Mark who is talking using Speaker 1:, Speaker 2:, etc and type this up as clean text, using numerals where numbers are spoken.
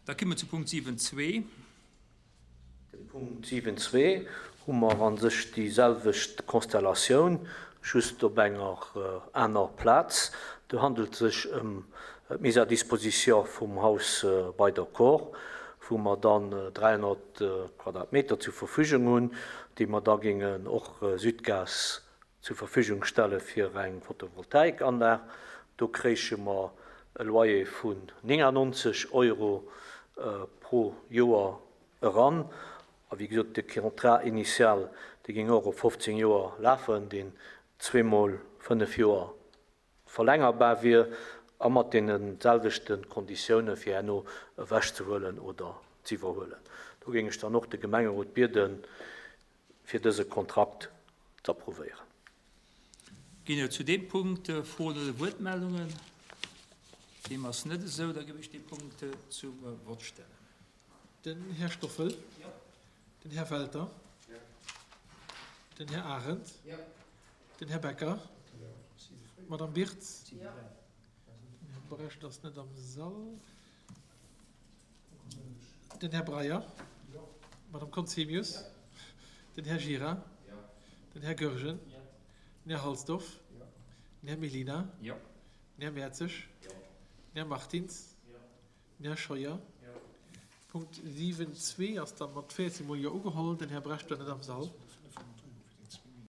Speaker 1: Da komme mer zu Punkt 7.2.
Speaker 2: De Punkt 7.2 hu mer a sech déi selwecht Konstellatioun, just op enger aner Plaz. Do handelt et sech ëm d'Mise à disposition vum Haus bei der Kor, wou mer dann 300 Quadratmeter zur Verfügung hunn, déi mer da géingen och Sudgaz zur Verfügung stelle fir eng Photovoltaikanlag. Do kréiche mer e Loyer vun 99 Euro pro Joer eran. A wéi gesot, de Contrat initial, dee géing och op 15 Joer lafen, deen zweemol fënnef Joer verlängerbar wier a mat deene selwechte Konditioune fir herno ewechzehuelen oder z'iwwerhuelen. Do géing ech dann och de Gemengerot bieden, fir dëse Kontrakt z'approuvéieren.
Speaker 1: Ginn et zu deem Punkt Froen oder Wuertmeldungen? Deem ass net esou. Da géif ech dee Punkt zum Vott stellen.
Speaker 3: Den Här Stoffel. Den Här Welter. Den Här Arendt. Den Här Becker. D'Madame Birtz. Den Här Brecht ass net am Sall. Den Här Breyer. D'Madame Conzemius. Den Här Gira. Den Här Goergen. Den Här Halsdorf. Den Här Mellina. Den Här Mertzig. Den Här Martins. Den Här Scheuer. Punkt 7.2 ass da mat 14 mol Jo ugeholl. Den Här Brecht war net am Sall.